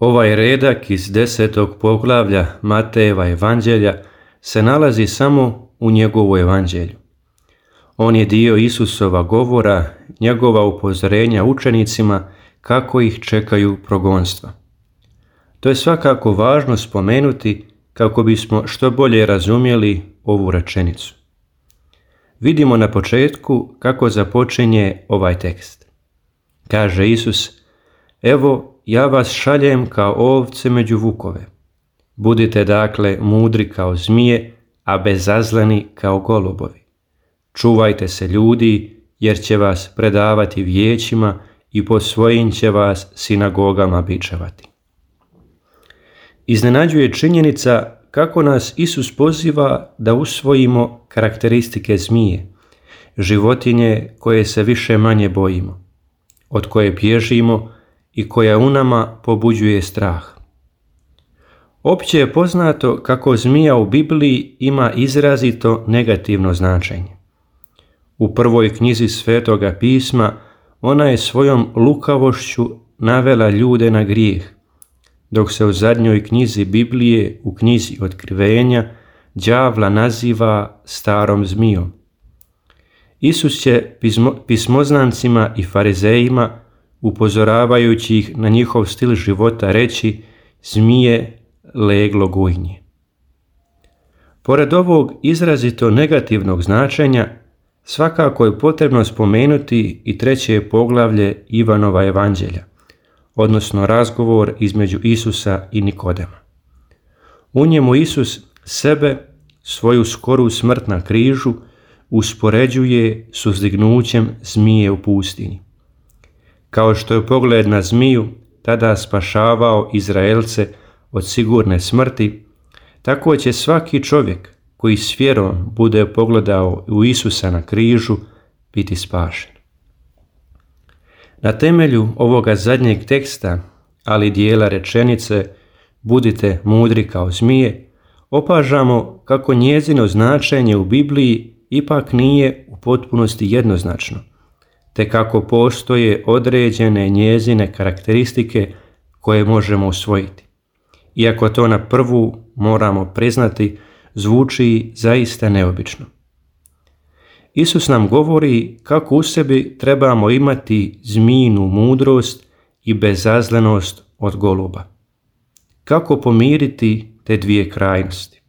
Ovaj redak iz 10. poglavlja Matejeva evanđelja se nalazi samo u njegovu evanđelju. On je dio Isusova govora, njegova upozorenja učenicima kako ih čekaju progonstva. To je svakako važno spomenuti kako bismo što bolje razumjeli ovu rečenicu. Vidimo na početku kako započinje ovaj tekst. Kaže Isus: "Evo, ja vas šaljem kao ovce među vukove. Budite dakle mudri kao zmije, a bezazleni kao golubovi. Čuvajte se ljudi, jer će vas predavati vijećima i po svojim će vas sinagogama bičevati." Iznenađuje činjenica kako nas Isus poziva da usvojimo karakteristike zmije, životinje koje se više manje bojimo, od koje bježimo i koja u nama pobuđuje strah. Opće je poznato kako zmija u Bibliji ima izrazito negativno značenje. U prvoj knjizi Svetoga pisma ona je svojom lukavošću navela ljude na grijeh, dok se u zadnjoj knjizi Biblije, u knjizi Otkrivenja, đavla naziva starom zmijom. Isus će pismoznancima i farizejima, upozoravajući ih na njihov stil života, reći: "Zmije leglo gujnje." Pored ovog izrazito negativnog značenja, svakako je potrebno spomenuti i 3. poglavlje Ivanova evanđelja, odnosno razgovor između Isusa i Nikodema. U njemu Isus sebe, svoju skoru smrt na križu, uspoređuje s uzdignućem zmije u pustinji. Kao što je pogled na zmiju tada spašavao Izraelce od sigurne smrti, tako će svaki čovjek koji s vjerom bude pogledao u Isusa na križu biti spašen. Na temelju ovoga zadnjeg teksta, ali dijela rečenice "budite mudri kao zmije", opažamo kako njezino značenje u Bibliji ipak nije u potpunosti jednoznačno, te kako postoje određene njezine karakteristike koje možemo usvojiti. Iako to na prvu, moramo priznati, zvuči zaista neobično. Isus nam govori kako u sebi trebamo imati zmijinu mudrost i bezazlenost od goluba. Kako pomiriti te dvije krajnosti?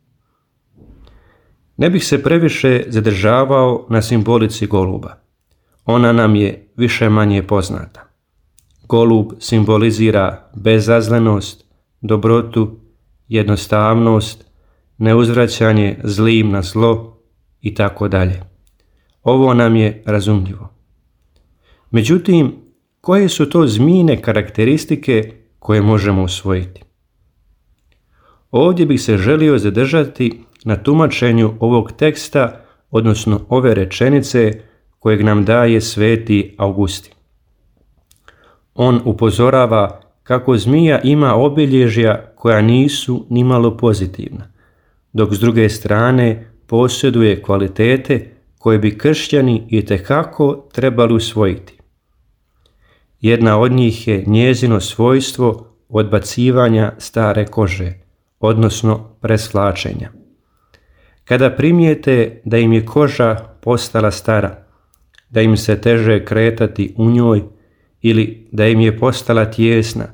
Ne bih se previše zadržavao na simbolici goluba. Ona nam je više manje poznata. Golub simbolizira bezazlenost, dobrotu, jednostavnost, neuzvraćanje zlim na zlo i tako dalje. Ovo nam je razumljivo. Međutim, koje su to zmijine karakteristike koje možemo usvojiti? Ovdje bih se želio zadržati na tumačenju ovog teksta, odnosno ove rečenice kojeg nam daje sveti Augustin. On upozorava kako zmija ima obilježja koja nisu nimalo pozitivna, dok s druge strane posjeduje kvalitete koje bi kršćani itekako trebali usvojiti. Jedna od njih je njezino svojstvo odbacivanja stare kože, odnosno presvlačenja. Kada primijete da im je koža postala stara, da im se teže kretati u njoj ili da im je postala tijesna,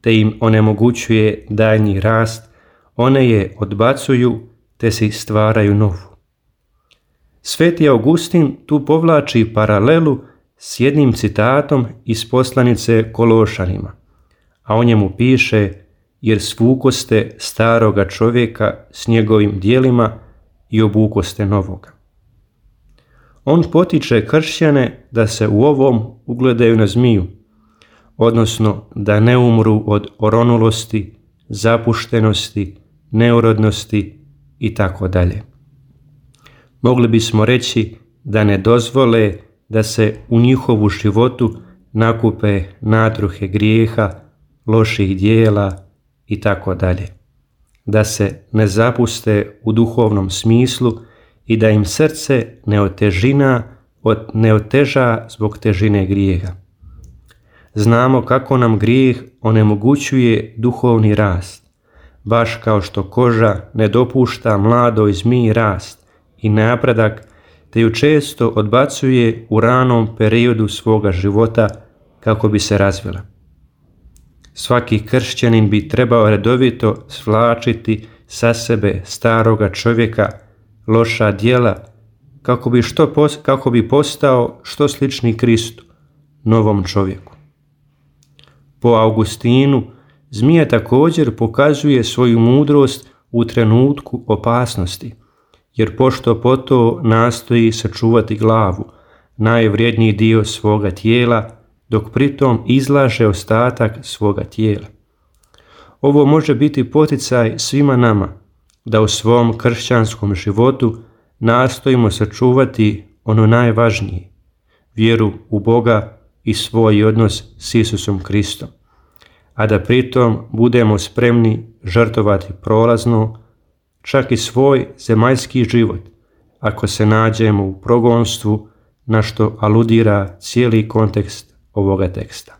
te im onemogućuje daljnji rast, one je odbacuju te si stvaraju novu. Sveti Augustin tu povlači paralelu s jednim citatom iz poslanice Kološanima, a o njemu piše: "Jer svukoste staroga čovjeka s njegovim djelima i obukoste novoga." On potiče kršćane da se u ovom ugledaju na zmiju, odnosno da ne umru od oronulosti, zapuštenosti, neurodnosti i tako dalje. Mogli bismo reći da ne dozvole da se u njihovu životu nakupe natruhe grijeha, loših dijela i tako dalje. Da se ne zapuste u duhovnom smislu i da im srce ne oteža zbog težine grijeha. Znamo kako nam grijeh onemogućuje duhovni rast, baš kao što koža ne dopušta mladoj zmiji rast i napredak, te ju često odbacuje u ranom periodu svoga života kako bi se razvila. Svaki kršćanin bi trebao redovito svlačiti sa sebe staroga čovjeka, loša djela, kako bi postao što slični Kristu, novom čovjeku. Po Augustinu, zmija također pokazuje svoju mudrost u trenutku opasnosti, jer pošto poto nastoji sačuvati glavu, najvrijedniji dio svoga tijela, dok pritom izlaže ostatak svoga tijela. Ovo može biti poticaj svima nama, da u svom kršćanskom životu nastojimo sačuvati ono najvažnije, vjeru u Boga i svoj odnos s Isusom Kristom, a da pritom budemo spremni žrtvovati prolazno, čak i svoj zemaljski život, ako se nađemo u progonstvu, na što aludira cijeli kontekst ovoga teksta.